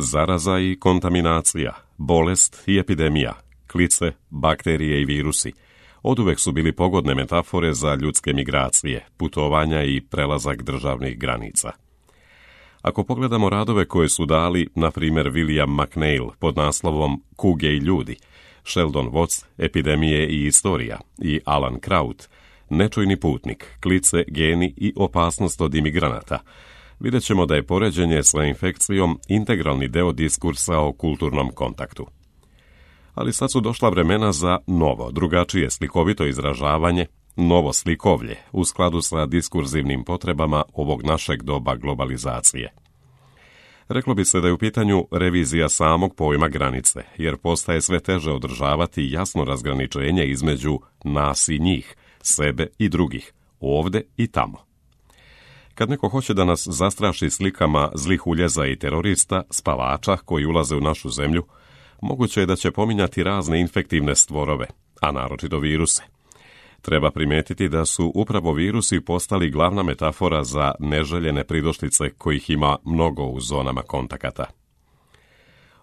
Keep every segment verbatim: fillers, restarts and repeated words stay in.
Zaraza i kontaminacija, bolest i epidemija, klice, bakterije i virusi oduvek su bili pogodne metafore za ljudske migracije, putovanja i prelazak državnih granica. Ako pogledamo radove koje su dali, na primjer William McNeill pod naslovom Kuge i ljudi, Sheldon Watts, Epidemije i istorija i Alan Kraut, Nečujni putnik, klice, geni i opasnost od imigranata, vidjet ćemo da je poređenje sa infekcijom integralni deo diskursa o kulturnom kontaktu. Ali sad su došla vremena za novo, drugačije slikovito izražavanje, novo slikovlje u skladu sa diskurzivnim potrebama ovog našeg doba globalizacije. Reklo bi se da je u pitanju revizija samog pojma granice, jer postaje sve teže održavati jasno razgraničenje između nas i njih, sebe i drugih, ovde i tamo. Kad neko hoće da nas zastraši slikama zlih uljeza i terorista, spavača koji ulaze u našu zemlju, moguće je da će pominjati razne infektivne stvorove, a naročito viruse. Treba primetiti da su upravo virusi postali glavna metafora za neželjene pridošlice kojih ima mnogo u zonama kontakata.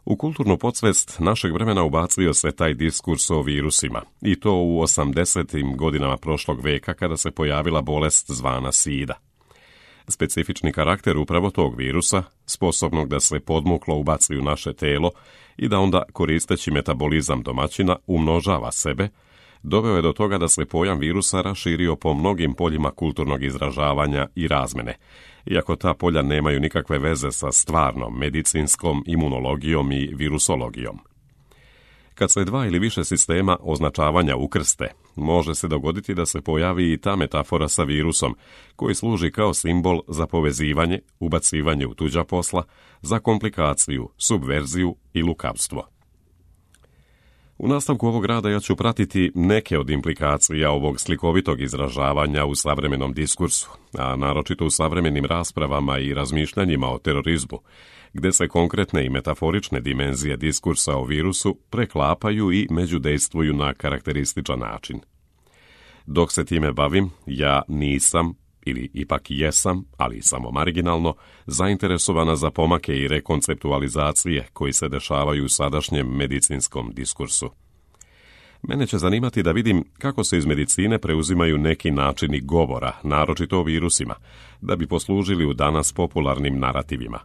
U kulturnu podsvest našeg vremena ubacio se taj diskurs o virusima, i to u osamdesetim godinama prošlog veka kada se pojavila bolest zvana sida. Specifični karakter upravo tog virusa, sposobnog da se podmuklo ubaci u naše telo i da onda, koristeći metabolizam domaćina, umnožava sebe, doveo je do toga da se pojam virusa raširio po mnogim poljima kulturnog izražavanja i razmene, iako ta polja nemaju nikakve veze sa stvarnom medicinskom imunologijom i virusologijom. Kad se dva ili više sistema označavanja ukrste, može se dogoditi da se pojavi i ta metafora sa virusom, koji služi kao simbol za povezivanje, ubacivanje u tuđa posla, za komplikaciju, subverziju i lukavstvo. U nastavku ovog rada ja ću pratiti neke od implikacija ovog slikovitog izražavanja u savremenom diskursu, a naročito u savremenim raspravama i razmišljanjima o terorizmu, gde se konkretne i metaforične dimenzije diskursa o virusu preklapaju i međudejstvuju na karakterističan način. Dok se time bavim, ja nisam, ili ipak jesam, ali samo marginalno, zainteresovana za pomake i rekonceptualizacije koji se dešavaju u sadašnjem medicinskom diskursu. Mene će zanimati da vidim kako se iz medicine preuzimaju neki načini govora, naročito o virusima, da bi poslužili u danas popularnim narativima.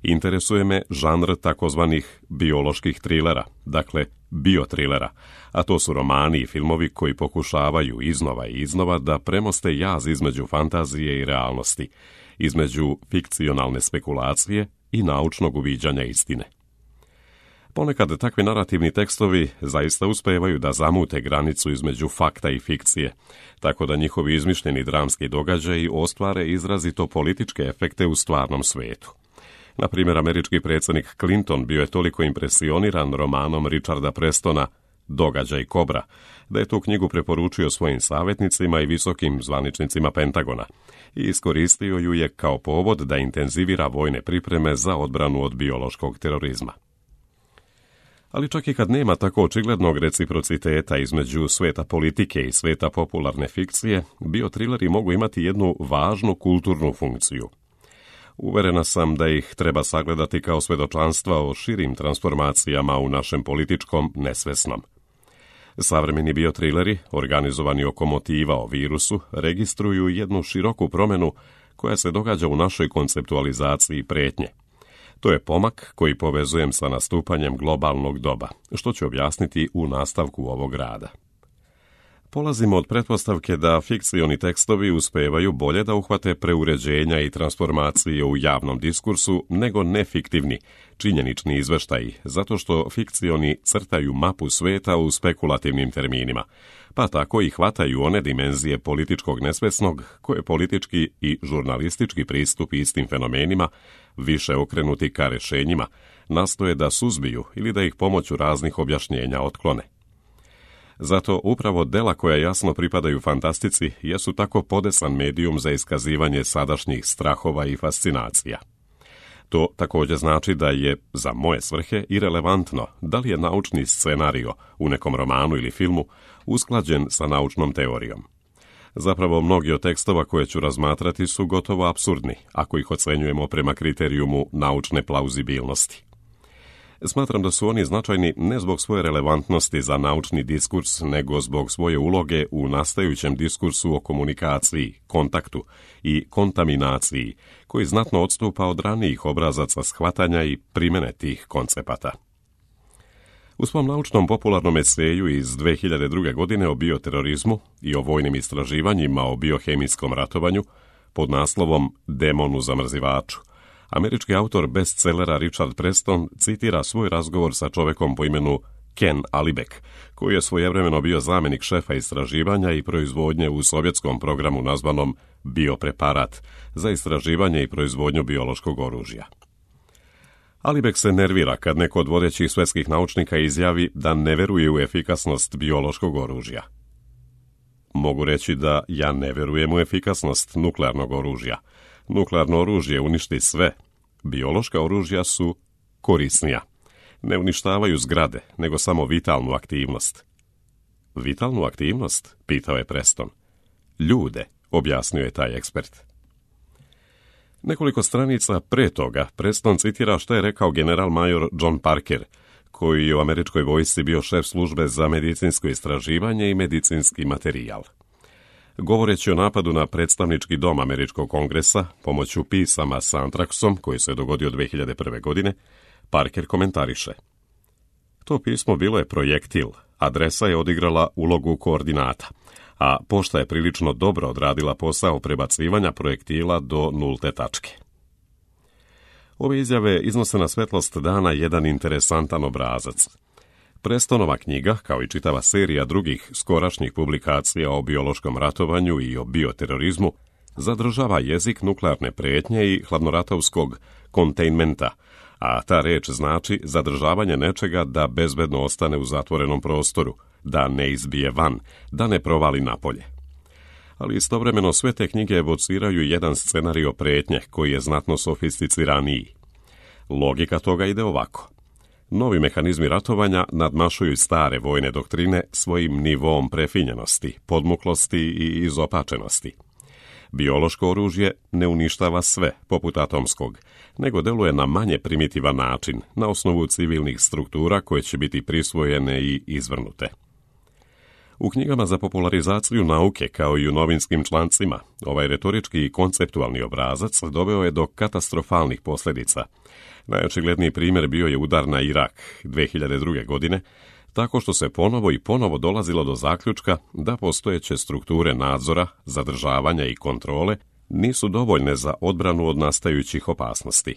Interesuje me žanr takozvanih bioloških trilera, dakle biotrilera, a to su romani i filmovi koji pokušavaju iznova i iznova da premoste jaz između fantazije i realnosti, između fikcionalne spekulacije i naučnog uviđanja istine. Ponekad takvi narativni tekstovi zaista uspevaju da zamute granicu između fakta i fikcije, tako da njihovi izmišljeni dramski događaji ostvare izrazito političke efekte u stvarnom svetu. Na primjer, američki predsjednik Clinton bio je toliko impresioniran romanom Richarda Prestona Događaj Kobra, da je tu knjigu preporučio svojim savjetnicima i visokim zvaničnicima Pentagona i iskoristio ju je kao povod da intenzivira vojne pripreme za odbranu od biološkog terorizma. Ali čak i kad nema tako očiglednog reciprociteta između sveta politike i sveta popularne fikcije, biotrileri mogu imati jednu važnu kulturnu funkciju. Uverena sam da ih treba sagledati kao svedočanstva o širim transformacijama u našem političkom nesvesnom. Savremeni biotrileri, organizovani oko motiva o virusu, registruju jednu široku promjenu koja se događa u našoj konceptualizaciji pretnje. To je pomak koji povezujem sa nastupanjem globalnog doba, što ću objasniti u nastavku ovog rada. Polazimo od pretpostavke da fikcioni tekstovi uspevaju bolje da uhvate preuređenja i transformacije u javnom diskursu nego nefiktivni, činjenični izveštaji, zato što fikcioni crtaju mapu sveta u spekulativnim terminima, pa tako i hvataju one dimenzije političkog nesvesnog koje politički i žurnalistički pristup istim fenomenima, više okrenuti ka rešenjima, nastoje da suzbiju ili da ih pomoću raznih objašnjenja otklone. Zato upravo dela koja jasno pripadaju fantastici jesu tako podesan medijum za iskazivanje sadašnjih strahova i fascinacija. To također znači da je, za moje svrhe, irelevantno da li je naučni scenario u nekom romanu ili filmu usklađen sa naučnom teorijom. Zapravo, mnogi od tekstova koje ću razmatrati su gotovo apsurdni, ako ih ocenjujemo prema kriterijumu naučne plauzibilnosti. Smatram da su oni značajni ne zbog svoje relevantnosti za naučni diskurs, nego zbog svoje uloge u nastajućem diskursu o komunikaciji, kontaktu i kontaminaciji, koji znatno odstupa od ranijih obrazaca shvatanja i primjene tih koncepata. U svom naučnom popularnom eseju iz dve hiljade druge. godine o bioterorizmu i o vojnim istraživanjima o biohemijskom ratovanju pod naslovom Demon u zamrzivaču, američki autor bestsellera Richard Preston citira svoj razgovor sa čovekom po imenu Ken Alibek, koji je svojevremeno bio zamjenik šefa istraživanja i proizvodnje u sovjetskom programu nazvanom Biopreparat za istraživanje i proizvodnju biološkog oružja. Alibek se nervira kad neko od vodećih svjetskih naučnika izjavi da ne veruje u efikasnost biološkog oružja. Mogu reći da ja ne verujem u efikasnost nuklearnog oružja. Nuklearno oružje uništi sve. Biološka oružja su korisnija. Ne uništavaju zgrade, nego samo vitalnu aktivnost. Vitalnu aktivnost? Pitao je Preston. Ljude, objasnio je taj ekspert. Nekoliko stranica pre toga Preston citira što je rekao general major John Parker, koji je u američkoj vojsci bio šef službe za medicinsko istraživanje i medicinski materijal. Govoreći o napadu na predstavnički dom američkog kongresa pomoću pisama sa antraksom koji se dogodio dve hiljade prve. godine, Parker komentariše: to pismo bilo je projektil, adresa je odigrala ulogu koordinata, a pošta je prilično dobro odradila posao prebacivanja projektila do nulte tačke. Ove izjave iznose na svetlost dana jedan interesantan obrazac. Prestonova knjiga, kao i čitava serija drugih skorašnjih publikacija o biološkom ratovanju i o bioterorizmu, zadržava jezik nuklearne prijetnje i hladnoratovskog containmenta, a ta reč znači zadržavanje nečega da bezbedno ostane u zatvorenom prostoru, da ne izbije van, da ne provali napolje. Ali istovremeno sve te knjige evociraju jedan scenario prijetnje koji je znatno sofisticiraniji. Logika toga ide ovako. Novi mehanizmi ratovanja nadmašuju stare vojne doktrine svojim nivom prefinjenosti, podmuklosti i izopačenosti. Biološko oružje ne uništava sve, poput atomskog, nego deluje na manje primitivan način, na osnovu civilnih struktura koje će biti prisvojene i izvrnute. U knjigama za popularizaciju nauke, kao i u novinskim člancima, ovaj retorički i konceptualni obrazac doveo je do katastrofalnih posljedica. Najočigledniji primjer bio je udar na Irak dve hiljade druge. godine, tako što se ponovo i ponovo dolazilo do zaključka da postojeće strukture nadzora, zadržavanja i kontrole nisu dovoljne za odbranu od nastajućih opasnosti.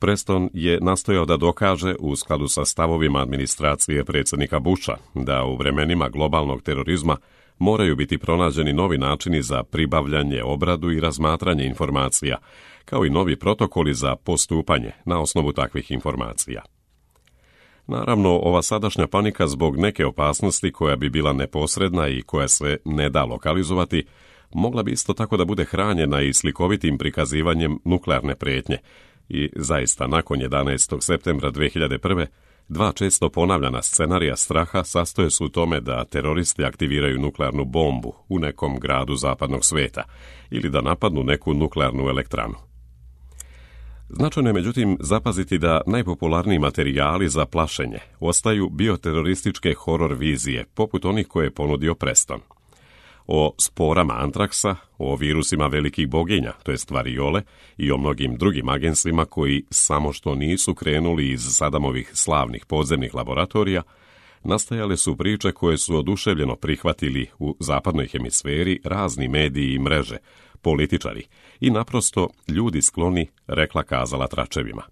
Preston je nastojao da dokaže, u skladu sa stavovima administracije predsjednika Busha, da u vremenima globalnog terorizma moraju biti pronađeni novi načini za pribavljanje, obradu i razmatranje informacija, kao i novi protokoli za postupanje na osnovu takvih informacija. Naravno, ova sadašnja panika zbog neke opasnosti koja bi bila neposredna i koja se ne da lokalizovati, mogla bi isto tako da bude hranjena i slikovitim prikazivanjem nuklearne prijetnje. I zaista, nakon jedanaestog septembra dve hiljade prve. dva često ponavljana scenarija straha sastoje se u tome da teroristi aktiviraju nuklearnu bombu u nekom gradu zapadnog sveta ili da napadnu neku nuklearnu elektranu. Značajno je međutim zapaziti da najpopularniji materijali za plašenje ostaju bioterorističke horor vizije, poput onih koje je ponudio Preston. O sporama antraksa, o virusima velikih boginja, to jest variole, i o mnogim drugim agensima koji samo što nisu krenuli iz Sadamovih slavnih podzemnih laboratorija, nastajale su priče koje su oduševljeno prihvatili u zapadnoj hemisferi razni mediji i mreže, političari i naprosto ljudi skloni rekla kazala tračevima.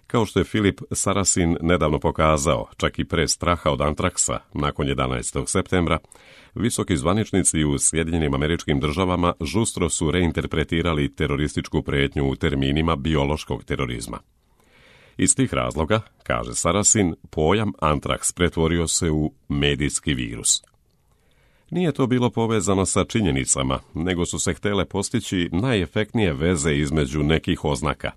Kao što je Philip Sarasin nedavno pokazao, čak i pre straha od antraksa nakon jedanaestog septembra, visoki zvaničnici u Sjedinjenim Američkim Državama žustro su reinterpretirali terorističku prijetnju u terminima biološkog terorizma. Iz tih razloga, kaže Sarasin, pojam antraks pretvorio se u medijski virus. Nije to bilo povezano sa činjenicama, nego su se htjele postići najefektnije veze između nekih oznaka.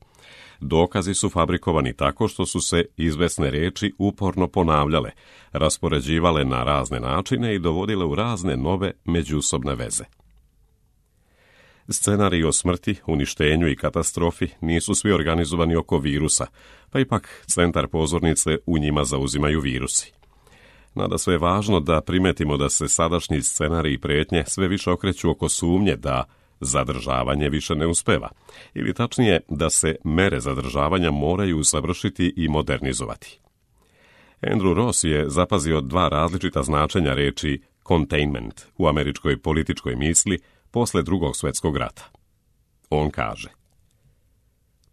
dokazi su fabrikovani tako što su se izvesne riječi uporno ponavljale, raspoređivale na razne načine i dovodile u razne nove međusobne veze. Scenariji o smrti, uništenju i katastrofi nisu svi organizovani oko virusa, pa ipak centar pozornice u njima zauzimaju virusi. Nadasve je važno da primetimo da se sadašnji scenariji prijetnje sve više okreću oko sumnje da zadržavanje više ne uspeva, ili tačnije da se mere zadržavanja moraju usavršiti i modernizovati. Andrew Ross je zapazio dva različita značenja riječi containment u američkoj političkoj misli posle Drugog svjetskog rata. On kaže: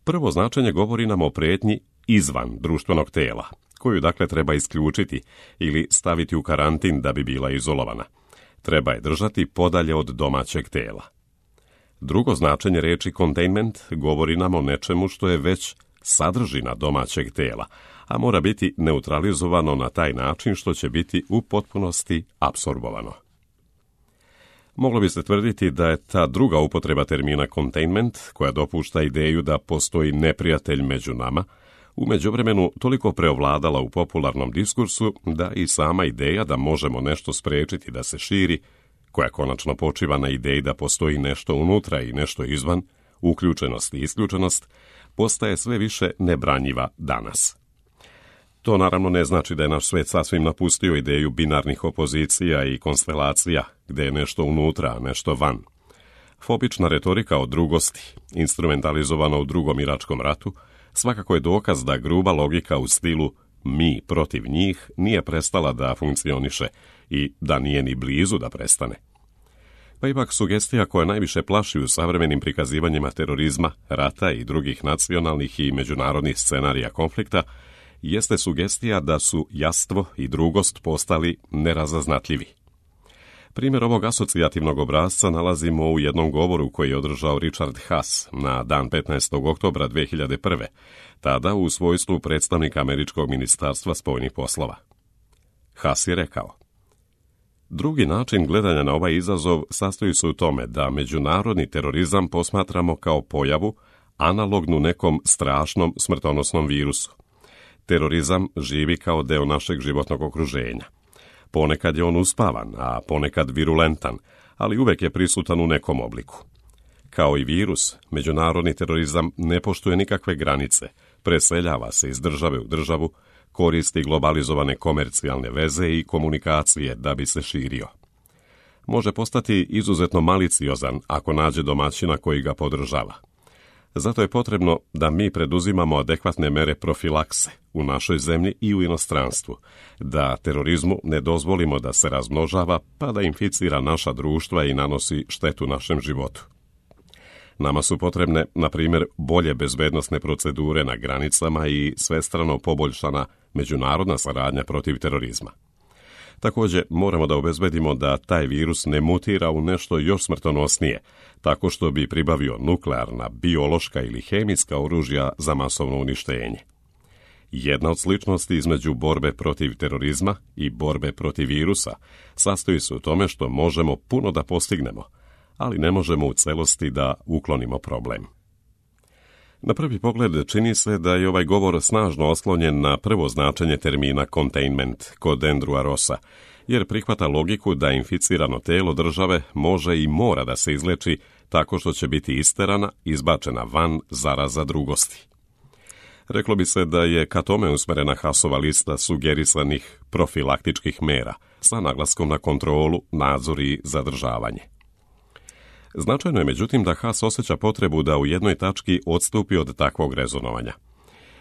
prvo značenje govori nam o prijetnji izvan društvenog tela, koju dakle treba isključiti ili staviti u karantin da bi bila izolovana. Treba je držati podalje od domaćeg tela. Drugo značenje riječi containment govori nam o nečemu što je već sadržina domaćeg tela, a mora biti neutralizovano na taj način što će biti u potpunosti apsorbovano. Moglo bi se tvrditi da je ta druga upotreba termina containment, koja dopušta ideju da postoji neprijatelj među nama, u međuvremenu toliko preovladala u popularnom diskursu da i sama ideja da možemo nešto spriječiti da se širi, koja konačno počiva na ideji da postoji nešto unutra i nešto izvan, uključenost i isključenost, postaje sve više nebranjiva danas. To naravno ne znači da je naš svijet sasvim napustio ideju binarnih opozicija i konstelacija, gdje je nešto unutra, a nešto van. Fobična retorika o drugosti, instrumentalizovana u Drugom iračkom ratu, svakako je dokaz da gruba logika u stilu mi protiv njih nije prestala da funkcioniše i da nije ni blizu da prestane. Pa ipak sugestija koja najviše plaši u savremenim prikazivanjima terorizma, rata i drugih nacionalnih i međunarodnih scenarija konflikta jeste sugestija da su jastvo i drugost postali nerazaznatljivi. Primjer ovog asocijativnog obrasca nalazimo u jednom govoru koji je održao Richard Haass na dan petnaestog oktobra dve hiljade prve, tada u svojstvu predstavnika Američkog ministarstva spoljnih poslova. Haass je rekao: drugi način gledanja na ovaj izazov sastoji se u tome da međunarodni terorizam posmatramo kao pojavu analognu nekom strašnom smrtonosnom virusu. Terorizam živi kao deo našeg životnog okruženja. Ponekad je on uspavan, a ponekad virulentan, ali uvek je prisutan u nekom obliku. Kao i virus, međunarodni terorizam ne poštuje nikakve granice, preseljava se iz države u državu, koristi globalizovane komercijalne veze i komunikacije da bi se širio. Može postati izuzetno maliciozan ako nađe domaćina koji ga podržava. Zato je potrebno da mi preduzimamo adekvatne mere profilakse u našoj zemlji i u inostranstvu, da terorizmu ne dozvolimo da se razmnožava pa da inficira naša društva i nanosi štetu našem životu. Nama su potrebne, na primjer, bolje bezbednosne procedure na granicama i svestrano poboljšana međunarodna saradnja protiv terorizma. Također, moramo da obezbedimo da taj virus ne mutira u nešto još smrtonosnije, tako što bi pribavio nuklearna, biološka ili hemijska oružja za masovno uništenje. Jedna od sličnosti između borbe protiv terorizma i borbe protiv virusa sastoji se u tome što možemo puno da postignemo, ali ne možemo u celosti da uklonimo problem. Na prvi pogled čini se da je ovaj govor snažno oslonjen na prvo značenje termina containment kod Andrewa Rossa, jer prihvata logiku da inficirano telo države može i mora da se izleči tako što će biti isterana, izbačena van zaraza drugosti. Reklo bi se da je ka tome usmerena Haassova lista sugerisanih profilaktičkih mera sa naglaskom na kontrolu, nadzor i zadržavanje. Značajno je međutim da Haass osjeća potrebu da u jednoj tački odstupi od takvog rezonovanja.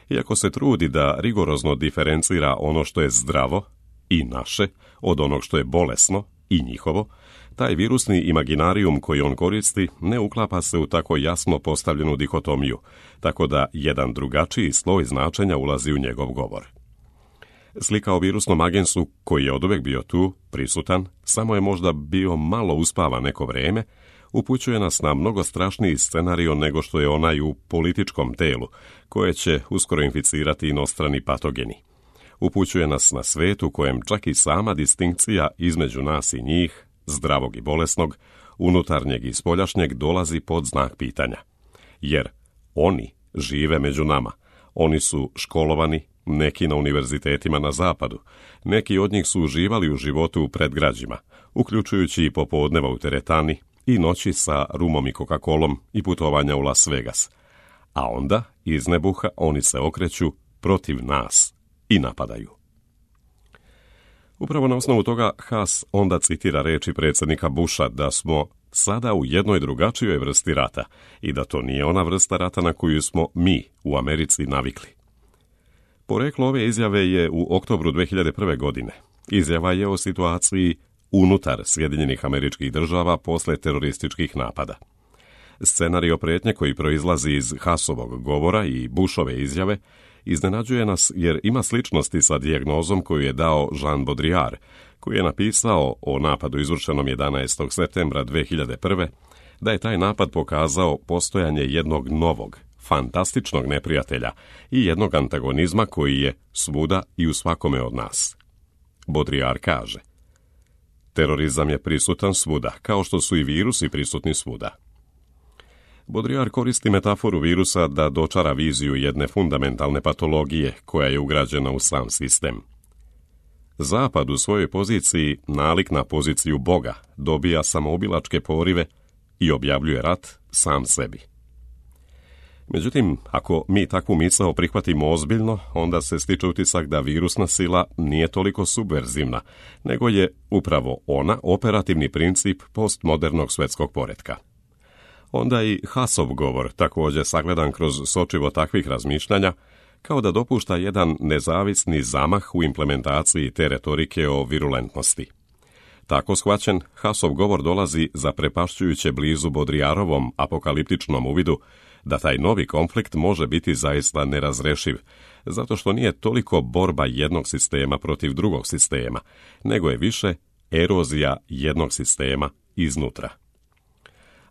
Iako se trudi da rigorozno diferencira ono što je zdravo i naše od onog što je bolesno i njihovo, taj virusni imaginarijum koji on koristi ne uklapa se u tako jasno postavljenu dihotomiju, tako da jedan drugačiji sloj značenja ulazi u njegov govor. Slika o virusnom agensu koji je oduvek bio tu, prisutan, samo je možda bio malo uspavan neko vreme, upućuje nas na mnogo strašniji scenario nego što je onaj u političkom telu, koje će uskoro inficirati inostrani patogeni. Upućuje nas na svet u kojem čak i sama distinkcija između nas i njih, zdravog i bolesnog, unutarnjeg i spoljašnjeg, dolazi pod znak pitanja. Jer oni žive među nama. Oni su školovani, neki na univerzitetima na zapadu, neki od njih su uživali u životu u predgrađima, uključujući i popodneva u teretani i noći sa rumom i Coca-Colom i putovanja u Las Vegas. A onda, iz nebuha, oni se okreću protiv nas i napadaju. Upravo na osnovu toga Haas onda citira reči predsjednika Busha da smo sada u jednoj drugačijoj vrsti rata i da to nije ona vrsta rata na koju smo mi u Americi navikli. Poreklo ove izjave je u oktobru dve hiljade prve. godine. Izjava je o situaciji unutar Sjedinjenih Američkih Država posle terorističkih napada. Scenario prijetnje koji proizlazi iz Haasovog govora i Bushove izjave iznenađuje nas jer ima sličnosti sa dijagnozom koju je dao Jean Baudrillard, koji je napisao o napadu izvršenom jedanaestog septembra dve hiljade prve. da je taj napad pokazao postojanje jednog novog, fantastičnog neprijatelja i jednog antagonizma koji je svuda i u svakome od nas. Baudrillard kaže: terorizam je prisutan svuda, kao što su i virusi prisutni svuda. Baudrillard koristi metaforu virusa da dočara viziju jedne fundamentalne patologije koja je ugrađena u sam sistem. Zapad u svojoj poziciji, nalik na poziciju Boga, dobija samoubilačke porive i objavljuje rat sam sebi. Međutim, ako mi takvu misao prihvatimo ozbiljno, onda se stiče utisak da virusna sila nije toliko subverzivna, nego je upravo ona operativni princip postmodernog svjetskog poretka. Onda i Haasov govor, također sagledan kroz sočivo takvih razmišljanja, kao da dopušta jedan nezavisni zamah u implementaciji te retorike o virulentnosti. Tako shvaćen, Haasov govor dolazi zaprepašćujuće blizu Baudrillardovom apokaliptičnom uvidu da taj novi konflikt može biti zaista nerazrešiv, zato što nije toliko borba jednog sistema protiv drugog sistema, nego je više erozija jednog sistema iznutra.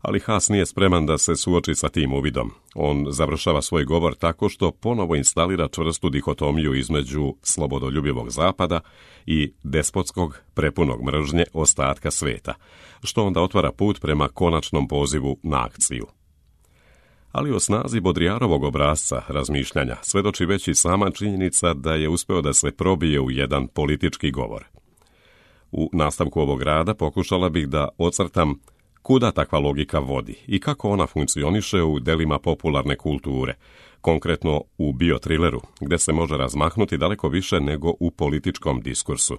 Ali Haas nije spreman da se suoči sa tim uvidom. On završava svoj govor tako što ponovo instalira čvrstu dihotomiju između slobodoljubivog zapada i despotskog, prepunog mržnje ostatka sveta, što onda otvara put prema konačnom pozivu na akciju. Ali o snazi Baudrillardovog obrasca razmišljanja svedoči već i sama činjenica da je uspeo da se probije u jedan politički govor. U nastavku ovog rada pokušala bih da ocrtam kuda takva logika vodi i kako ona funkcioniše u delima popularne kulture, konkretno u biotrileru, gde se može razmahnuti daleko više nego u političkom diskursu.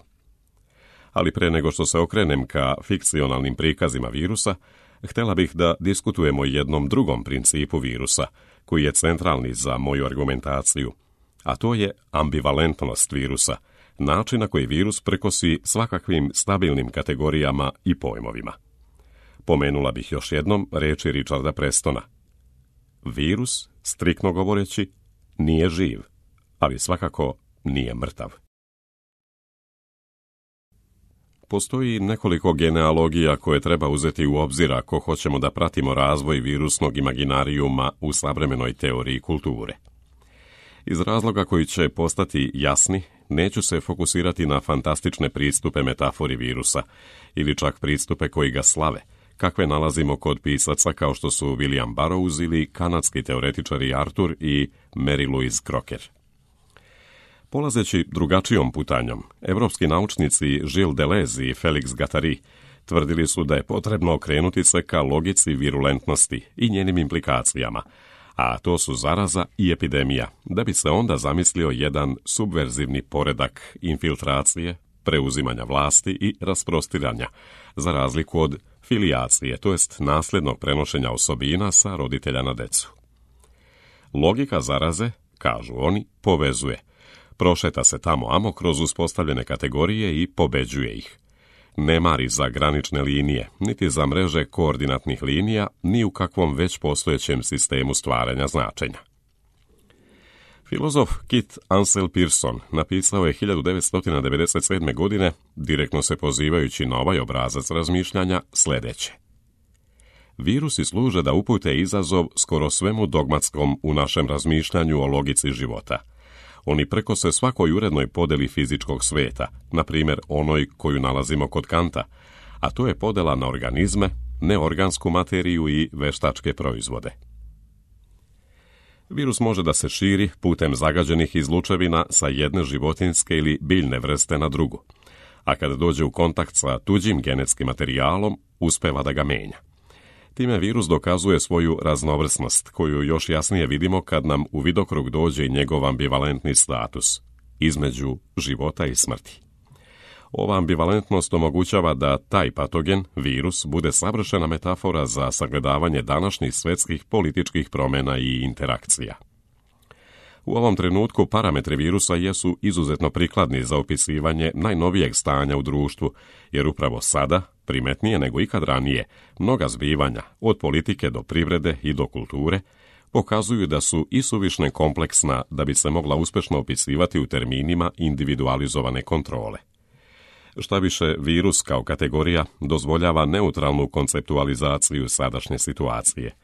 Ali pre nego što se okrenem ka fikcionalnim prikazima virusa, htjela bih da diskutujemo o jednom drugom principu virusa, koji je centralni za moju argumentaciju, a to je ambivalentnost virusa, način na koji virus prekosi svakakvim stabilnim kategorijama i pojmovima. Pomenula bih još jednom reči Richarda Prestona. Virus, striktno govoreći, nije živ, ali svakako nije mrtav. Postoji nekoliko genealogija koje treba uzeti u obzir ako hoćemo da pratimo razvoj virusnog imaginarijuma u savremenoj teoriji kulture. Iz razloga koji će postati jasni, neću se fokusirati na fantastične pristupe metafori virusa ili čak pristupe koji ga slave, kakve nalazimo kod pisaca kao što su William Burroughs ili kanadski teoretičari Arthur i Mary Louise Crocker. Polazeći drugačijom putanjom, evropski naučnici Gilles Deleuze i Félix Guattari tvrdili su da je potrebno okrenuti se ka logici virulentnosti i njenim implikacijama, a to su zaraza i epidemija, da bi se onda zamislio jedan subverzivni poredak infiltracije, preuzimanja vlasti i rasprostiranja, za razliku od filijacije, to jest nasljednog prenošenja osobina sa roditelja na decu. Logika zaraze, kažu oni, povezuje. Prošeta se tamo amo kroz uspostavljene kategorije i pobeđuje ih. Ne mari za granične linije, niti za mreže koordinatnih linija, ni u kakvom već postojećem sistemu stvaranja značenja. Filozof Kit Ansel Pearson napisao je hiljadu devetsto devedeset sedme. godine, direktno se pozivajući na ovaj obrazac razmišljanja, sljedeće. Virusi služe da upute izazov skoro svemu dogmatskom u našem razmišljanju o logici života. Oni prekose svakoj urednoj podeli fizičkog sveta, na primjer onoj koju nalazimo kod Kanta, a to je podela na organizme, neorgansku materiju i veštačke proizvode. Virus može da se širi putem zagađenih izlučevina sa jedne životinjske ili biljne vrste na drugu, a kada dođe u kontakt sa tuđim genetskim materijalom, uspeva da ga menja. Time virus dokazuje svoju raznovrsnost, koju još jasnije vidimo kad nam u vidokrug dođe i njegov ambivalentni status, između života i smrti. Ova ambivalentnost omogućava da taj patogen, virus, bude savršena metafora za sagledavanje današnjih svetskih političkih promjena i interakcija. U ovom trenutku parametri virusa jesu izuzetno prikladni za opisivanje najnovijeg stanja u društvu, jer upravo sada, primetnije nego ikad ranije, mnoga zbivanja, od politike do privrede i do kulture, pokazuju da su isuvišne kompleksna da bi se mogla uspješno opisivati u terminima individualizovane kontrole. Šta više, virus kao kategorija dozvoljava neutralnu konceptualizaciju sadašnje situacije.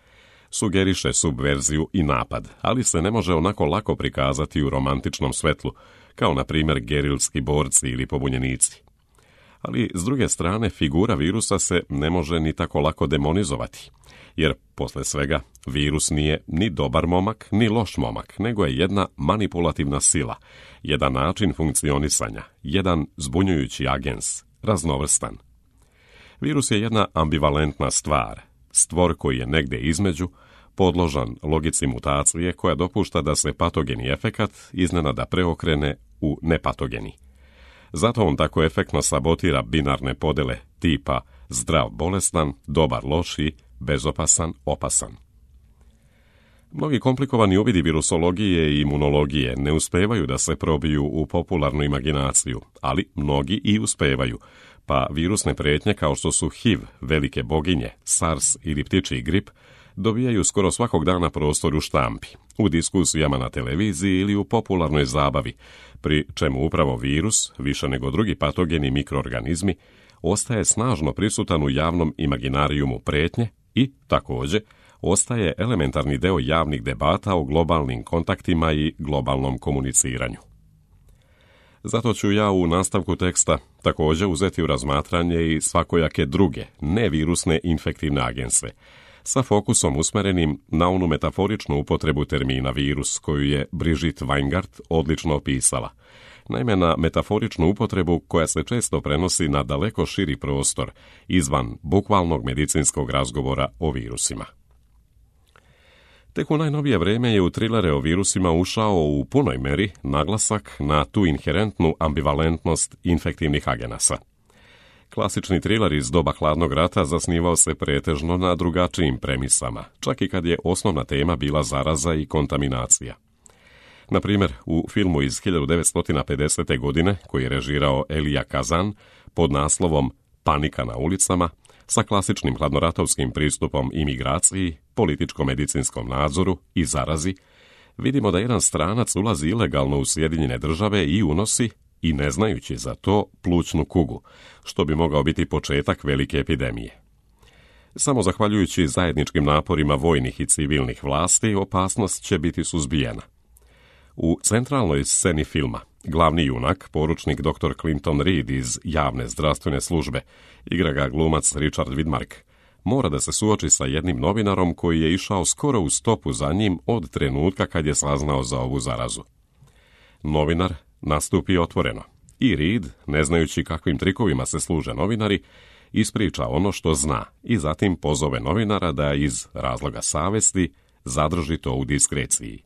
Sugeriše subverziju i napad, ali se ne može onako lako prikazati u romantičnom svetlu, kao na primjer gerilski borci ili pobunjenici. Ali, s druge strane, figura virusa se ne može ni tako lako demonizovati, jer, posle svega, virus nije ni dobar momak, ni loš momak, nego je jedna manipulativna sila, jedan način funkcionisanja, jedan zbunjujući agens, raznovrstan. Virus je jedna ambivalentna stvar, stvor koji je negde između, podložan logici mutacije koja dopušta da se patogeni efekat iznenada preokrene u nepatogeni. Zato on tako efektno sabotira binarne podele tipa zdrav bolestan, dobar loši, bezopasan opasan. Mnogi komplikovani uvidi virusologije i imunologije ne uspevaju da se probiju u popularnu imaginaciju, ali mnogi i uspevaju, pa virusne prijetnje kao što su H I V, velike boginje, SARS ili ptičji grip dobijaju skoro svakog dana prostor u štampi, u diskusijama na televiziji ili u popularnoj zabavi, pri čemu upravo virus, više nego drugi patogeni mikroorganizmi, ostaje snažno prisutan u javnom imaginarijumu prijetnje i, također, ostaje elementarni deo javnih debata o globalnim kontaktima i globalnom komuniciranju. Zato ću ja u nastavku teksta također uzeti u razmatranje i svakojake druge, nevirusne infektivne agense, sa fokusom usmerenim na onu metaforičnu upotrebu termina virus, koju je Brigitte Weingart odlično opisala. Naime, na metaforičnu upotrebu koja se često prenosi na daleko širi prostor, izvan bukvalnog medicinskog razgovora o virusima. Tek u najnovije vrijeme je u trilere o virusima ušao u punoj meri naglasak na tu inherentnu ambivalentnost infektivnih agenasa. Klasični triler iz doba hladnog rata zasnivao se pretežno na drugačijim premisama, čak i kad je osnovna tema bila zaraza i kontaminacija. Na primjer, u filmu iz hiljadu devetsto pedesete. godine, koji je režirao Elia Kazan, pod naslovom Panika na ulicama, sa klasičnim hladnoratovskim pristupom imigraciji, političko-medicinskom nadzoru i zarazi, vidimo da jedan stranac ulazi ilegalno u Sjedinjene države i unosi, i ne znajući za to, plućnu kugu, što bi mogao biti početak velike epidemije. Samo zahvaljujući zajedničkim naporima vojnih i civilnih vlasti, opasnost će biti suzbijena. U centralnoj sceni filma glavni junak, poručnik doktor Clinton Reed iz javne zdravstvene službe, igra ga glumac Richard Widmark, mora da se suoči sa jednim novinarom koji je išao skoro u stopu za njim od trenutka kad je saznao za ovu zarazu. Novinar nastupi otvoreno i Reed, ne znajući kakvim trikovima se služe novinari, ispriča ono što zna i zatim pozove novinara da iz razloga savesti zadrži to u diskreciji.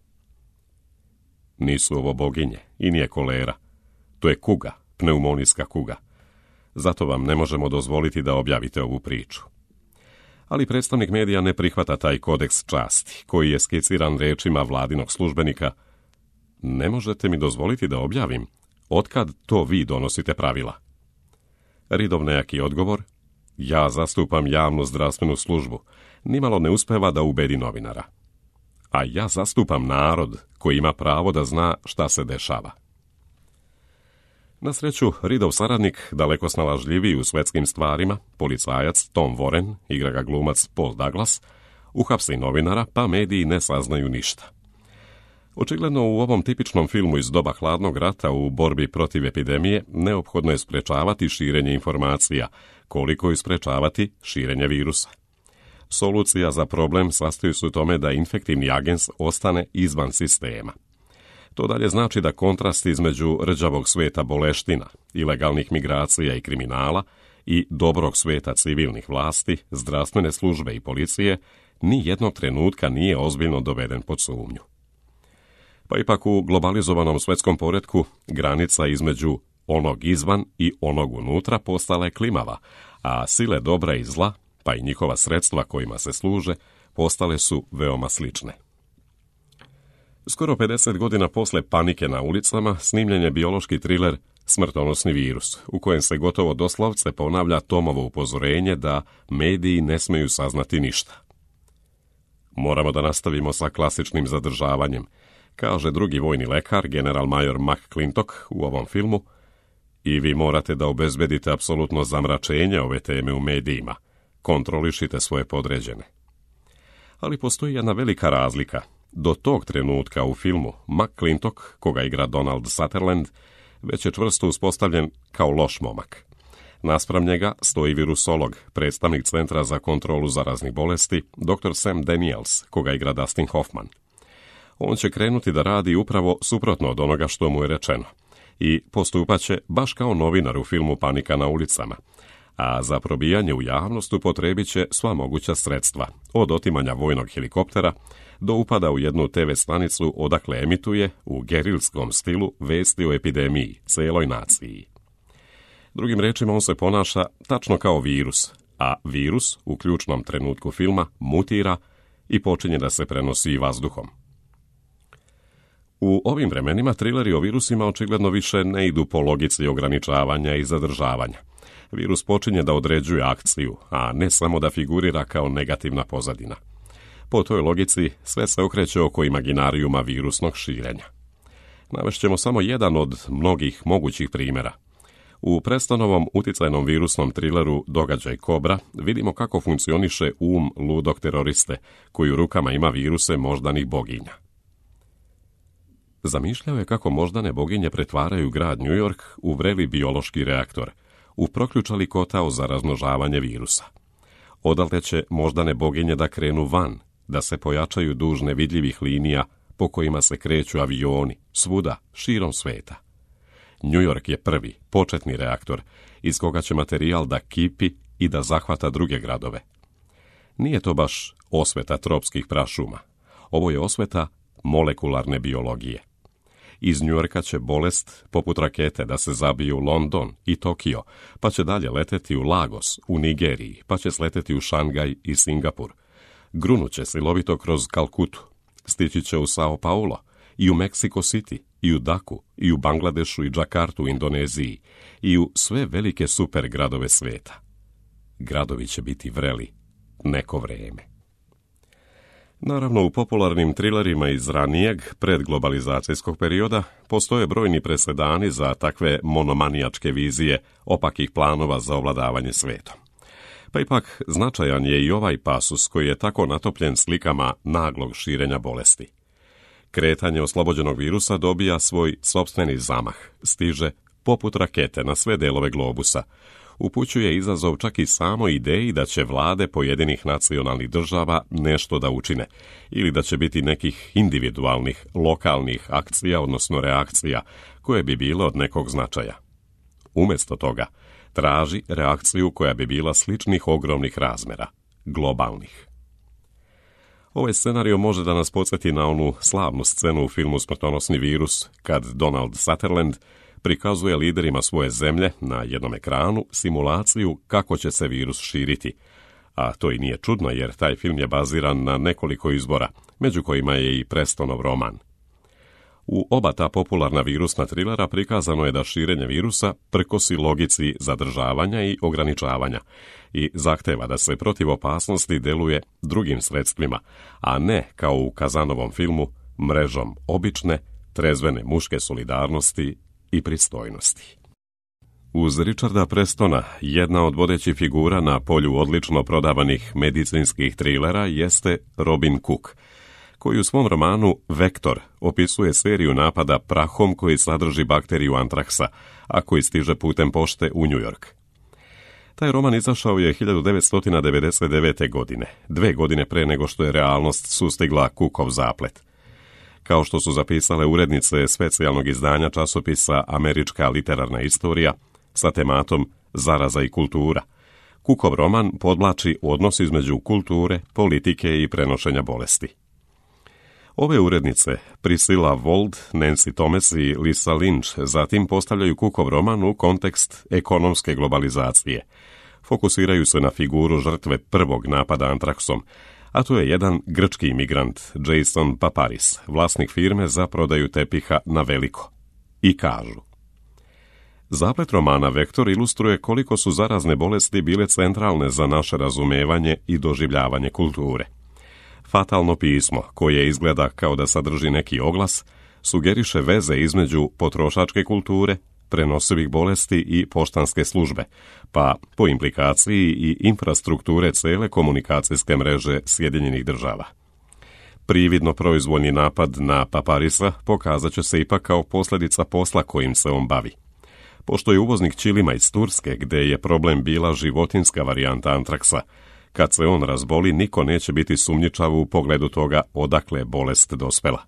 Nisu ovo boginje i nije kolera. To je kuga, pneumonijska kuga. Zato vam ne možemo dozvoliti da objavite ovu priču. Ali predstavnik medija ne prihvata taj kodeks časti, koji je skiciran rečima vladinog službenika: ne možete mi dozvoliti da objavim, otkad to vi donosite pravila. Reedov nejaki odgovor: ja zastupam javnu zdravstvenu službu, nimalo ne uspeva da ubedi novinara. A ja zastupam narod koji ima pravo da zna šta se dešava. Na sreću, Reedov saradnik, daleko snalažljiviji u svetskim stvarima, policajac Tom Warren, igra ga glumac Paul Douglas, uhapsi novinara, pa mediji ne saznaju ništa. Očigledno u ovom tipičnom filmu iz doba hladnog rata u borbi protiv epidemije neophodno je sprečavati širenje informacija, koliko i sprečavati širenje virusa. Solucija za problem sastoji se u tome da infektivni agens ostane izvan sistema. To dalje znači da kontrast između rđavog sveta boleština, ilegalnih migracija i kriminala i dobrog sveta civilnih vlasti, zdravstvene službe i policije ni jednog trenutka nije ozbiljno doveden pod sumnju. Pa ipak u globalizovanom svetskom poretku granica između onog izvan i onog unutra postala je klimava, a sile dobra i zla, pa i njihova sredstva kojima se služe, postale su veoma slične. Skoro pedeset godina posle panike na ulicama snimljen je biološki triler Smrtonosni virus, u kojem se gotovo doslovce ponavlja Tomovo upozorenje da mediji ne smeju saznati ništa. Moramo da nastavimo sa klasičnim zadržavanjem, kaže drugi vojni lekar, general major McClintock u ovom filmu, i vi morate da obezbedite apsolutno zamračenje ove teme u medijima, kontrolišite svoje podređene. Ali postoji jedna velika razlika. Do tog trenutka u filmu McClintock, koga igra Donald Sutherland, već je čvrsto uspostavljen kao loš momak. Naspram njega stoji virusolog, predstavnik Centra za kontrolu zaraznih bolesti, doktor Sam Daniels, koga igra Dustin Hoffman. On će krenuti da radi upravo suprotno od onoga što mu je rečeno i postupaće baš kao novinar u filmu Panika na ulicama, a za probijanje u javnost upotrebit će sva moguća sredstva, od otimanja vojnog helikoptera do upada u jednu te ve stanicu odakle emituje u gerilskom stilu vesti o epidemiji celoj naciji. Drugim rečima, on se ponaša tačno kao virus, a virus u ključnom trenutku filma mutira i počinje da se prenosi vazduhom. U ovim vremenima trileri o virusima očigledno više ne idu po logici ograničavanja i zadržavanja. Virus počinje da određuje akciju, a ne samo da figurira kao negativna pozadina. Po toj logici sve se okreće oko imaginarijuma virusnog širenja. Navešćemo samo jedan od mnogih mogućih primjera. U Prestonovom uticajnom virusnom trileru Događaj Kobra vidimo kako funkcioniše um ludog teroriste, koji u rukama ima viruse moždanih boginja. Zamišljao je kako moždane boginje pretvaraju grad New York u vreli biološki reaktor, u proključali kotao za razmnožavanje virusa. Odatle će moždane boginje da krenu van, da se pojačaju duž nevidljivih linija po kojima se kreću avioni, svuda, širom sveta. New York je prvi, početni reaktor, iz koga će materijal da kipi i da zahvata druge gradove. Nije to baš osveta tropskih prašuma. Ovo je osveta molekularne biologije. Iz New Yorka će bolest, poput rakete, da se zabije u London i Tokio, pa će dalje leteti u Lagos, u Nigeriji, pa će sleteti u Šangaj i Singapur. Grunuće silovito kroz Kalkutu, stići će u Sao Paulo, i u Mexico City, i u Daku, i u Bangladešu i Džakartu u Indoneziji, i u sve velike super gradove sveta. Gradovi će biti vreli neko vreme. Naravno, u popularnim trilerima iz ranijeg predglobalizacijskog perioda postoje brojni presedani za takve monomanijačke vizije opakih planova za ovladavanje svetom. Pa ipak značajan je i ovaj pasus koji je tako natopljen slikama naglog širenja bolesti. Kretanje oslobođenog virusa dobija svoj sopstveni zamah, stiže poput rakete na sve delove globusa, upućuje izazov čak i samo ideji da će vlade pojedinih nacionalnih država nešto da učine, ili da će biti nekih individualnih, lokalnih akcija, odnosno reakcija, koje bi bile od nekog značaja. Umjesto toga, traži reakciju koja bi bila sličnih ogromnih razmera, globalnih. Ovaj scenario može da nas podsjeti na onu slavnu scenu u filmu Smrtonosni virus, kad Donald Sutherland prikazuje liderima svoje zemlje na jednom ekranu simulaciju kako će se virus širiti. A to i nije čudno, jer taj film je baziran na nekoliko izbora, među kojima je i Prestonov roman. U oba ta popularna virusna trilera prikazano je da širenje virusa prkosi logici zadržavanja i ograničavanja i zahteva da se protiv opasnosti deluje drugim sredstvima, a ne kao u Kazanovom filmu mrežom obične, trezvene muške solidarnosti i pristojnosti. Uz Richarda Prestona, jedna od vodećih figura na polju odlično prodavanih medicinskih trilera jeste Robin Cook, koji u svom romanu Vektor opisuje seriju napada prahom koji sadrži bakteriju antraksa, a koji stiže putem pošte u New York. Taj roman izašao je hiljadu devetsto devedeset devete. godine, dve godine pre nego što je realnost sustigla Cookov zaplet. Kao što su zapisale urednice specijalnog izdanja časopisa Američka literarna istorija sa tematom Zaraza i kultura, Cookov roman podvlači odnos između kulture, politike i prenošenja bolesti. Ove urednice, Priscilla Wold, Nancy Thomas i Lisa Lynch, zatim postavljaju Cookov roman u kontekst ekonomske globalizacije. Fokusiraju se na figuru žrtve prvog napada antraksom, a to je jedan grčki imigrant, Jason Paparis, vlasnik firme za prodaju tepiha na veliko. I kažu: zaplet romana Vektor ilustruje koliko su zarazne bolesti bile centralne za naše razumevanje i doživljavanje kulture. Fatalno pismo, koje izgleda kao da sadrži neki oglas, sugeriše veze između potrošačke kulture, prenosivih bolesti i poštanske službe, pa po implikaciji i infrastrukture cele komunikacijske mreže Sjedinjenih država. Prividno proizvoljni napad na Paparisa pokazat će se ipak kao posljedica posla kojim se on bavi. Pošto je uvoznik ćilima iz Turske, gde je problem bila životinska varijanta antraksa, kad se on razboli, niko neće biti sumnjičav u pogledu toga odakle bolest dospela.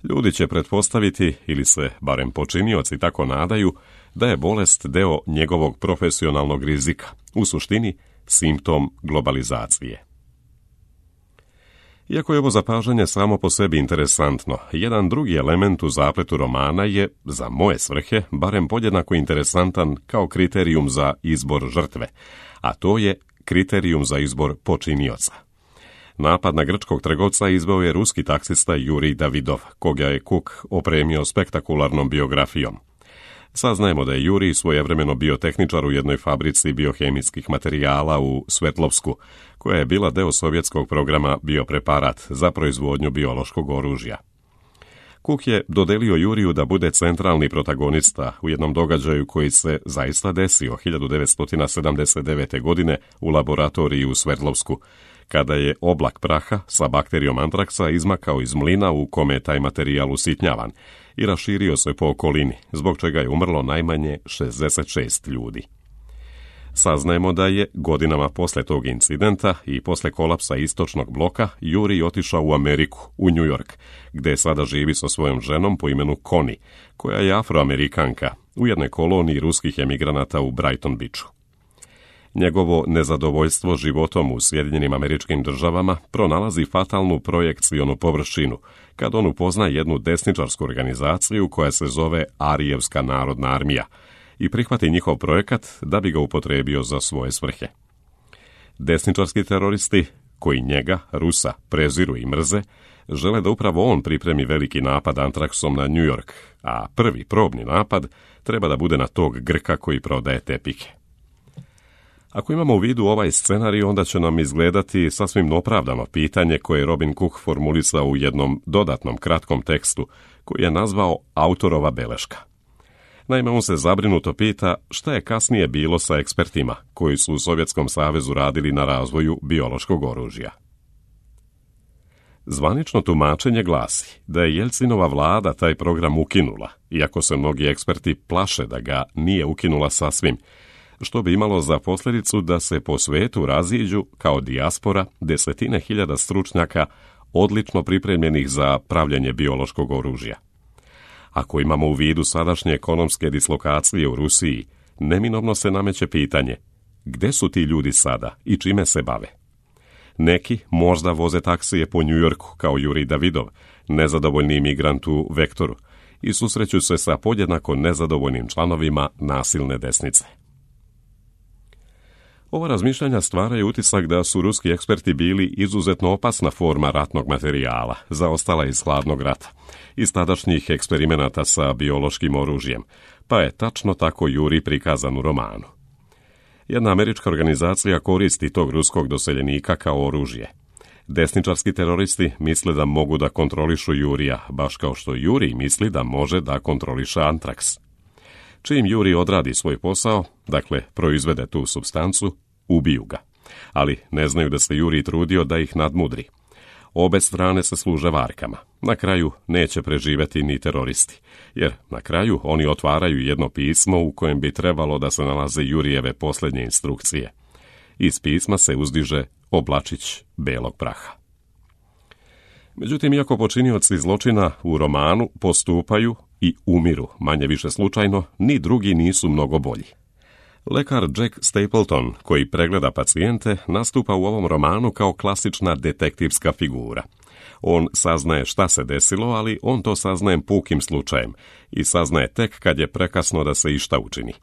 Ljudi će pretpostaviti, ili se barem počinioci tako nadaju, da je bolest deo njegovog profesionalnog rizika, u suštini simptom globalizacije. Iako je ovo zapažanje samo po sebi interesantno, jedan drugi element u zapletu romana je, za moje svrhe, barem podjednako interesantan kao kriterijum za izbor žrtve, a to je kriterijum za izbor počinioca. Napad na grčkog trgovca izveo je ruski taksista Jurij Davidov, koga je Cook opremio spektakularnom biografijom. Saznajemo da je Jurij svojevremeno bio tehničar u jednoj fabrici biohemijskih materijala u Svetlovsku, koja je bila deo sovjetskog programa Biopreparat za proizvodnju biološkog oružja. Cook je dodelio Juriju da bude centralni protagonista u jednom događaju koji se zaista desio hiljadu devetsto sedamdeset devete. godine u laboratoriji u Sverdlovsku, kada je oblak praha sa bakterijom antraksa izmakao iz mlina u kome je taj materijal usitnjavan i raširio se po okolini, zbog čega je umrlo najmanje šezdeset šest ljudi. Saznajemo da je godinama posle tog incidenta i posle kolapsa istočnog bloka Jurij otišao u Ameriku, u New York, gde sada živi sa svojom ženom po imenu Connie, koja je afroamerikanka, u jednoj koloniji ruskih emigranata u Brighton Beachu. Njegovo nezadovoljstvo životom u Sjedinjenim Američkim Državama pronalazi fatalnu projekcionu površinu kad on upozna jednu desničarsku organizaciju koja se zove Arijevska narodna armija i prihvati njihov projekat da bi ga upotrebio za svoje svrhe. Desničarski teroristi, koji njega, Rusa, preziru i mrze, žele da upravo on pripremi veliki napad antraksom na New York, a prvi probni napad treba da bude na tog Grka koji prodaje tepihe. Ako imamo u vidu ovaj scenarij, onda će nam izgledati sasvim opravdano pitanje koje je Robin Cook formulisao u jednom dodatnom kratkom tekstu koji je nazvao autorova beleška. Naime, on se zabrinuto pita šta je kasnije bilo sa ekspertima koji su u Sovjetskom savezu radili na razvoju biološkog oružja. Zvanično tumačenje glasi da je Jelcinova vlada taj program ukinula, iako se mnogi eksperti plaše da ga nije ukinula sasvim, što bi imalo za posljedicu da se po svetu raziđu kao dijaspora desetine hiljada stručnjaka odlično pripremljenih za pravljenje biološkog oružja. Ako imamo u vidu sadašnje ekonomske dislokacije u Rusiji, neminovno se nameće pitanje gde su ti ljudi sada i čime se bave. Neki možda voze taksije po New Yorku kao Jurij Davidov, nezadovoljni imigrant u Vektoru, i susreću se sa podjednako nezadovoljnim članovima nasilne desnice. Ova razmišljanja stvaraju utisak da su ruski eksperti bili izuzetno opasna forma ratnog materijala, zaostala iz hladnog rata, iz tadašnjih eksperimenata sa biološkim oružjem, pa je tačno tako Jurij prikazan u romanu. Jedna američka organizacija koristi tog ruskog doseljenika kao oružje. Desničarski teroristi misle da mogu da kontrolišu Jurija, baš kao što Jurij misli da može da kontroliše antraks. Čim Jurij odradi svoj posao, dakle proizvede tu supstancu, ubiju ga. Ali ne znaju da se Jurij trudio da ih nadmudri. Obe strane se služe varkama. Na kraju neće preživjeti ni teroristi, jer na kraju oni otvaraju jedno pismo u kojem bi trebalo da se nalaze Jurijeve posljednje instrukcije. Iz pisma se uzdiže oblačić belog praha. Međutim, iako počinioci zločina u romanu postupaju i umiru, manje više slučajno, ni drugi nisu mnogo bolji. Lekar Jack Stapleton, koji pregleda pacijente, nastupa u ovom romanu kao klasična detektivska figura. On saznaje šta se desilo, ali on to saznaje pukim slučajem i saznaje tek kad je prekasno da se išta učini.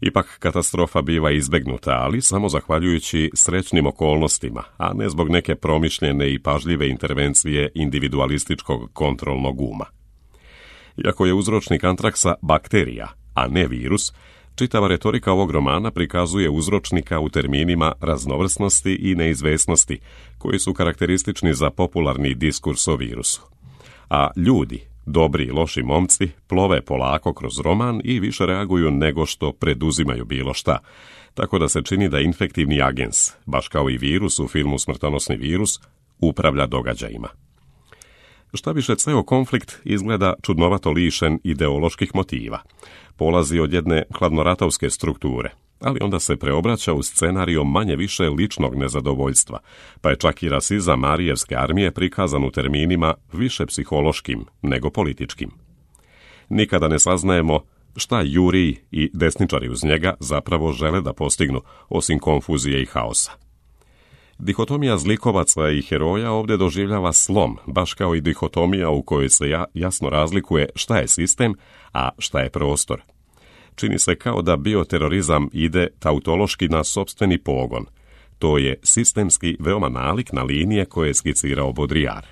Ipak katastrofa biva izbegnuta, ali samo zahvaljujući srećnim okolnostima, a ne zbog neke promišljene i pažljive intervencije individualističkog kontrolnog uma. Iako je uzročnik antraksa bakterija, a ne virus, čitava retorika ovog romana prikazuje uzročnika u terminima raznovrsnosti i neizvesnosti, koji su karakteristični za popularni diskurs o virusu. A ljudi, dobri i loši momci, plove polako kroz roman i više reaguju nego što preduzimaju bilo šta, tako da se čini da infektivni agens, baš kao i virus u filmu Smrtonosni virus, upravlja događajima. Šta više, ceo konflikt izgleda čudnovato lišen ideoloških motiva. Polazi od jedne hladnoratovske strukture, ali onda se preobraća u scenario manje više ličnog nezadovoljstva, pa je čak i rasizam Marijevske armije prikazan u terminima više psihološkim nego političkim. Nikada ne saznajemo šta Jurij i desničari uz njega zapravo žele da postignu, osim konfuzije i haosa. Dihotomija zlikovaca i heroja ovdje doživljava slom, baš kao i dihotomija u kojoj se ja, jasno razlikuje šta je sistem, a šta je prostor. Čini se kao da bioterorizam ide tautološki na sopstveni pogon. To je sistemski veoma nalik na linije koje je skicirao Baudrillard.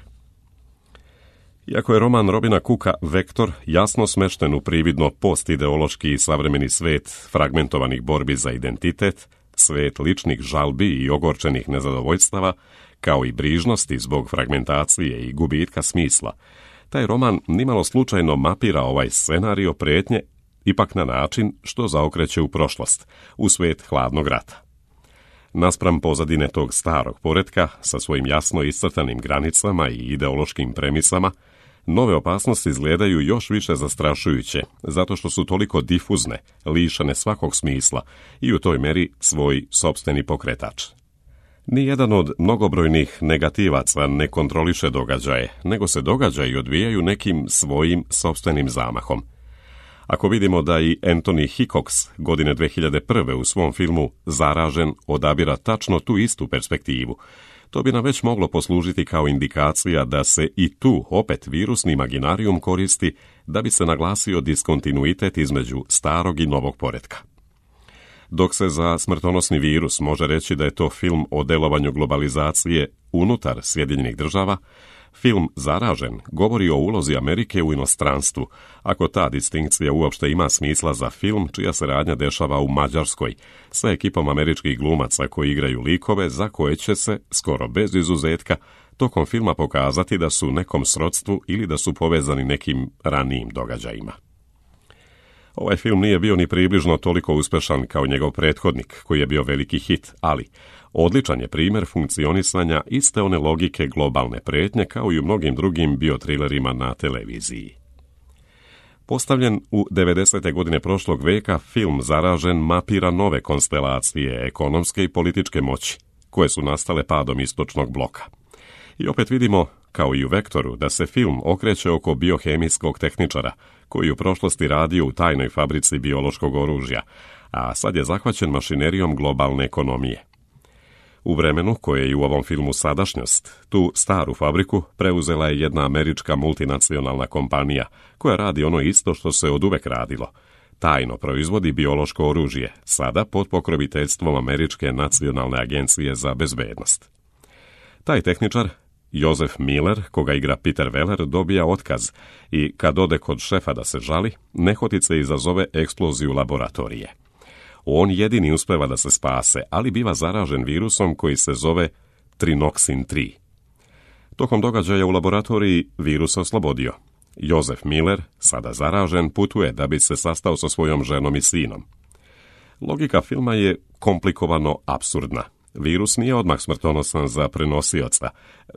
Iako je roman Robina Cooka Vektor jasno smešten u prividno postideološki i savremeni svet fragmentovanih borbi za identitet, svet ličnih žalbi i ogorčenih nezadovoljstava, kao i brižnosti zbog fragmentacije i gubitka smisla, taj roman nimalo slučajno mapira ovaj scenario pretnje, ipak na način što zaokreće u prošlost, u svet hladnog rata. Naspram pozadine tog starog poretka, sa svojim jasno iscrtanim granicama i ideološkim premisama, nove opasnosti izgledaju još više zastrašujuće, zato što su toliko difuzne, lišane svakog smisla i u toj meri svoj sopstveni pokretač. Nijedan od mnogobrojnih negativaca ne kontroliše događaje, nego se događaji odvijaju nekim svojim sopstvenim zamahom. Ako vidimo da i Anthony Hickox godine dve hiljade prve u svom filmu Zaražen odabira tačno tu istu perspektivu, to bi nam već moglo poslužiti kao indikacija da se i tu opet virusni imaginarijum koristi da bi se naglasio diskontinuitet između starog i novog poretka. Dok se za Smrtonosni virus može reći da je to film o delovanju globalizacije unutar Sjedinjenih država, film Zaražen govori o ulozi Amerike u inostranstvu, ako ta distinkcija uopšte ima smisla za film čija se radnja dešava u Mađarskoj, sa ekipom američkih glumaca koji igraju likove za koje će se, skoro bez izuzetka, tokom filma pokazati da su u nekom srodstvu ili da su povezani nekim ranijim događajima. Ovaj film nije bio ni približno toliko uspešan kao njegov prethodnik, koji je bio veliki hit, ali odličan je primjer funkcionisanja iste one logike globalne pretnje kao i u mnogim drugim biotrilerima na televiziji. Postavljen u devedesete godine prošlog veka, film Zaražen mapira nove konstelacije ekonomske i političke moći, koje su nastale padom istočnog bloka. I opet vidimo, kao i u Vektoru, da se film okreće oko biohemijskog tehničara, koji u prošlosti radio u tajnoj fabrici biološkog oružja, a sad je zahvaćen mašinerijom globalne ekonomije. U vremenu, koje je i u ovom filmu sadašnjost, tu staru fabriku preuzela je jedna američka multinacionalna kompanija, koja radi ono isto što se oduvek radilo. Tajno proizvodi biološko oružje, sada pod pokroviteljstvom Američke nacionalne agencije za bezbednost. Taj tehničar, Joseph Miller, koga igra Peter Weller, dobija otkaz i kad ode kod šefa da se žali, nehotice izazove eksploziju laboratorije. On jedini uspeva da se spase, ali biva zaražen virusom koji se zove Trinoxin tri. Tokom događaja u laboratoriji virus se oslobodio. Joseph Miller, sada zaražen, putuje da bi se sastao sa svojom ženom i sinom. Logika filma je komplikovano apsurdna Virus nije odmah smrtonosan za prenosioca,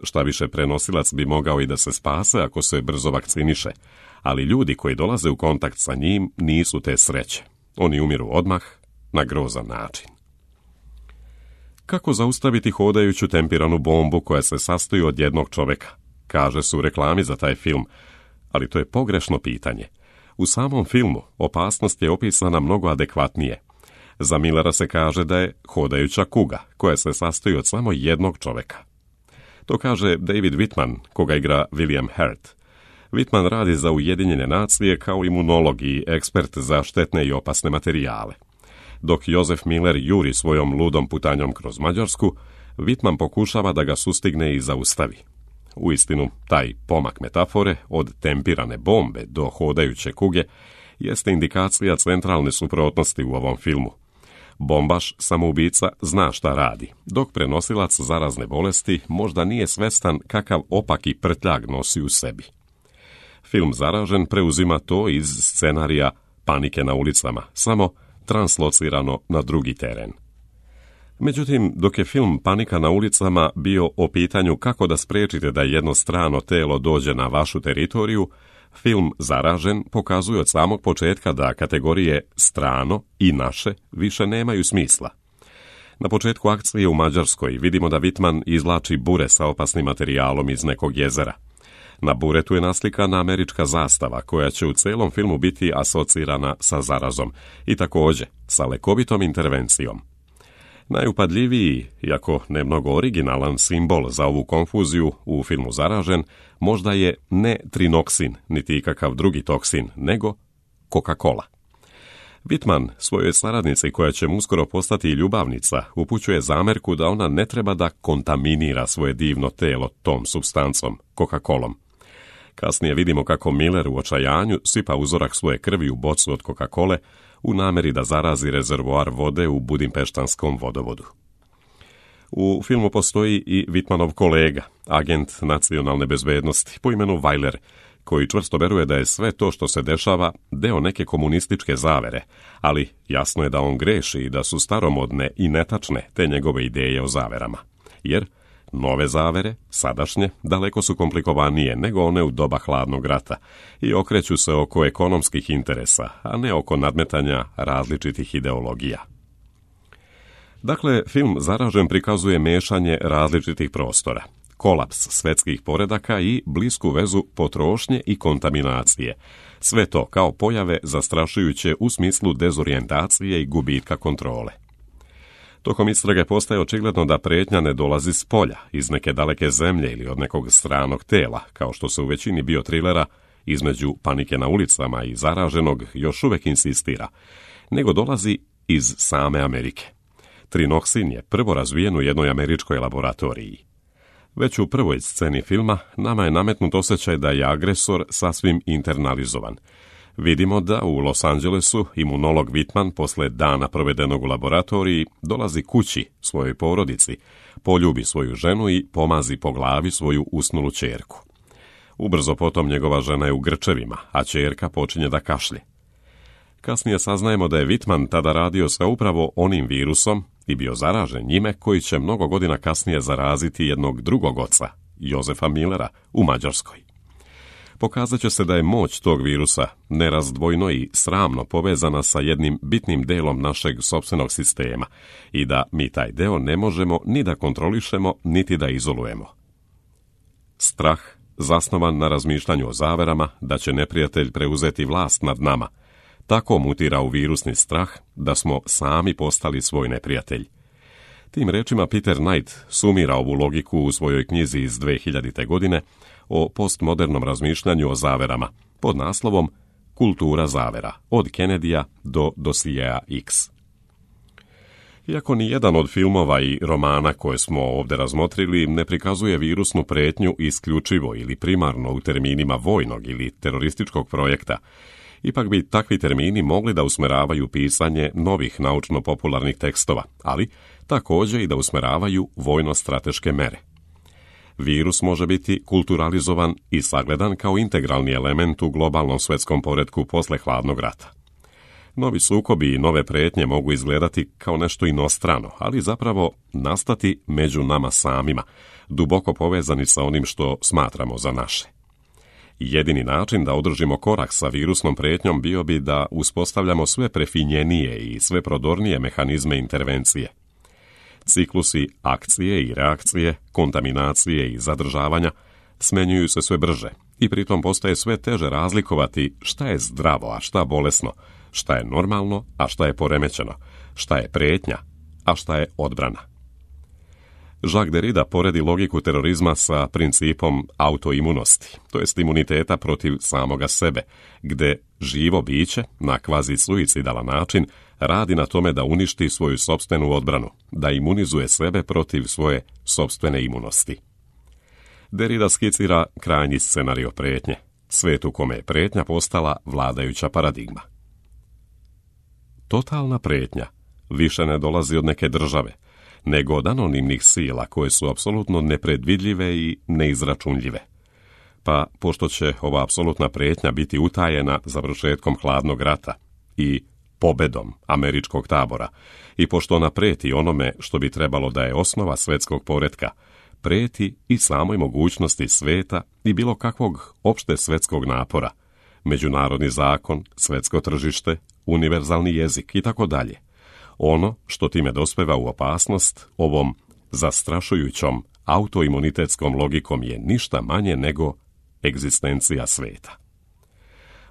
šta više prenosilac bi mogao i da se spase ako se brzo vakciniše, ali ljudi koji dolaze u kontakt sa njim nisu te sreće. Oni umiru odmah, na grozan način. Kako zaustaviti hodajuću tempiranu bombu koja se sastoji od jednog čovjeka? Kaže se u reklami za taj film, ali to je pogrešno pitanje. U samom filmu opasnost je opisana mnogo adekvatnije. Za Millera se kaže da je hodajuća kuga, koja se sastoji od samo jednog čovjeka. To kaže David Whitman, koga igra William Hurt. Whitman radi za Ujedinjene nacije kao imunolog i ekspert za štetne i opasne materijale. Dok Joseph Miller juri svojom ludom putanjom kroz Mađarsku, Whitman pokušava da ga sustigne i zaustavi. Uistinu, taj pomak metafore od tempirane bombe do hodajuće kuge jeste indikacija centralne suprotnosti u ovom filmu. Bombaš, samoubica, zna šta radi, dok prenosilac zarazne bolesti možda nije svestan kakav opaki prtljag nosi u sebi. Film Zaražen preuzima to iz scenarija Panike na ulicama, samo translocirano na drugi teren. Međutim, dok je film Panika na ulicama bio o pitanju kako da spriječite da jedno strano telo dođe na vašu teritoriju, film Zaražen pokazuje od samog početka da kategorije strano i naše više nemaju smisla. Na početku akcije u Mađarskoj vidimo da Whitman izvlači bure sa opasnim materijalom iz nekog jezera. Na buretu je naslikana američka zastava koja će u celom filmu biti asocirana sa zarazom i također sa lekovitom intervencijom. Najupadljiviji, iako ne mnogo originalan simbol za ovu konfuziju u filmu Zaražen, možda je ne trinoksin, niti ikakav drugi toksin, nego Coca-Cola. Whitman svojoj saradnici, koja će mu uskoro postati ljubavnica, upućuje zamerku da ona ne treba da kontaminira svoje divno telo tom supstancom, Coca-Colom. Kasnije vidimo kako Miller u očajanju sipa uzorak svoje krvi u bocu od Coca-Cole u nameri da zarazi rezervoar vode u budimpeštanskom vodovodu. U filmu postoji i Whitmanov kolega, agent nacionalne bezbednosti po imenu Weiler, koji čvrsto veruje da je sve to što se dešava deo neke komunističke zavere, ali jasno je da on greši i da su staromodne i netačne te njegove ideje o zaverama, jer nove zavere, sadašnje, daleko su komplikovanije nego one u doba hladnog rata i okreću se oko ekonomskih interesa, a ne oko nadmetanja različitih ideologija. Dakle, film Zaražen prikazuje mešanje različitih prostora, kolaps svetskih poredaka i blisku vezu potrošnje i kontaminacije. Sve to kao pojave zastrašujuće u smislu dezorijentacije i gubitka kontrole. Tokom istrage postaje očigledno da prijetnja ne dolazi s polja, iz neke daleke zemlje ili od nekog stranog tela, kao što se u većini biotrilera između Panike na ulicama i Zaraženog još uvijek insistira, nego dolazi iz same Amerike. Trinoksin je prvo razvijen u jednoj američkoj laboratoriji. Već u prvoj sceni filma nama je nametnut osjećaj da je agresor sasvim internalizovan. Vidimo da u Los Angelesu imunolog Whitman posle dana provedenog u laboratoriji dolazi kući svojoj porodici, poljubi svoju ženu i pomazi po glavi svoju usnulu ćerku. Ubrzo potom njegova žena je u grčevima, a ćerka počinje da kašlje. Kasnije saznajemo da je Whitman tada radio sa upravo onim virusom i bio zaražen njime koji će mnogo godina kasnije zaraziti jednog drugog oca, Josefa Millera, u Mađarskoj. Pokazat će se da je moć tog virusa nerazdvojno i sramno povezana sa jednim bitnim delom našeg sopstvenog sistema i da mi taj deo ne možemo ni da kontrolišemo, niti da izolujemo. Strah, zasnovan na razmišljanju o zaverama da će neprijatelj preuzeti vlast nad nama, tako mutira u virusni strah da smo sami postali svoj neprijatelj. Tim rečima Peter Knight sumira ovu logiku u svojoj knjizi iz dve hiljadite. godine o postmodernom razmišljanju o zaverama pod naslovom Kultura zavera, od Kennedyja do dosijeja X. Iako ni jedan od filmova i romana koje smo ovdje razmotrili ne prikazuje virusnu prijetnju isključivo ili primarno u terminima vojnog ili terorističkog projekta, ipak bi takvi termini mogli da usmeravaju pisanje novih naučno-popularnih tekstova, ali također i da usmeravaju vojno-strateške mere. Virus može biti kulturalizovan i sagledan kao integralni element u globalnom svetskom poretku posle hladnog rata. Novi sukobi i nove prijetnje mogu izgledati kao nešto inostrano, ali zapravo nastati među nama samima, duboko povezani sa onim što smatramo za naše. Jedini način da održimo korak sa virusnom prijetnjom bio bi da uspostavljamo sve prefinjenije i sve prodornije mehanizme intervencije. Ciklusi akcije i reakcije, kontaminacije i zadržavanja smenjuju se sve brže i pritom postaje sve teže razlikovati šta je zdravo, a šta bolesno, šta je normalno, a šta je poremećeno, šta je prijetnja, a šta je odbrana. Jacques Derrida poredi logiku terorizma sa principom autoimunosti, to jest imuniteta protiv samoga sebe, gde živo biće, na kvazi-suicidalan način, radi na tome da uništi svoju sopstvenu odbranu, da imunizuje sebe protiv svoje sopstvene imunosti. Derrida skicira krajnji scenario prijetnje, svet u kome je prijetnja postala vladajuća paradigma. Totalna prijetnja više ne dolazi od neke države, nego od anonimnih sila koje su apsolutno nepredvidljive i neizračunljive. Pa, pošto će ova apsolutna prijetnja biti utajena završetkom hladnog rata i pobedom američkog tabora, i pošto ona preti onome što bi trebalo da je osnova svetskog poretka, preti i samoj mogućnosti sveta i bilo kakvog opšte svetskog napora, međunarodni zakon, svetsko tržište, univerzalni jezik i tako dalje. Ono što time dospeva u opasnost ovom zastrašujućom autoimunitetskom logikom je ništa manje nego egzistencija sveta.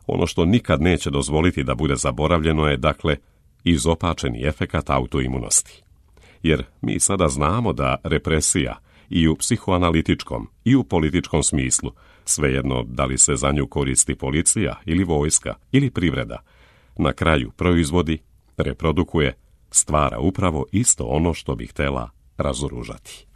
Ono što nikad neće dozvoliti da bude zaboravljeno je, dakle, izopačeni efekat autoimunosti. Jer mi sada znamo da represija i u psihoanalitičkom i u političkom smislu, svejedno da li se za nju koristi policija ili vojska ili privreda, na kraju proizvodi, reprodukuje, stvara upravo isto ono što bi htjela razoružati.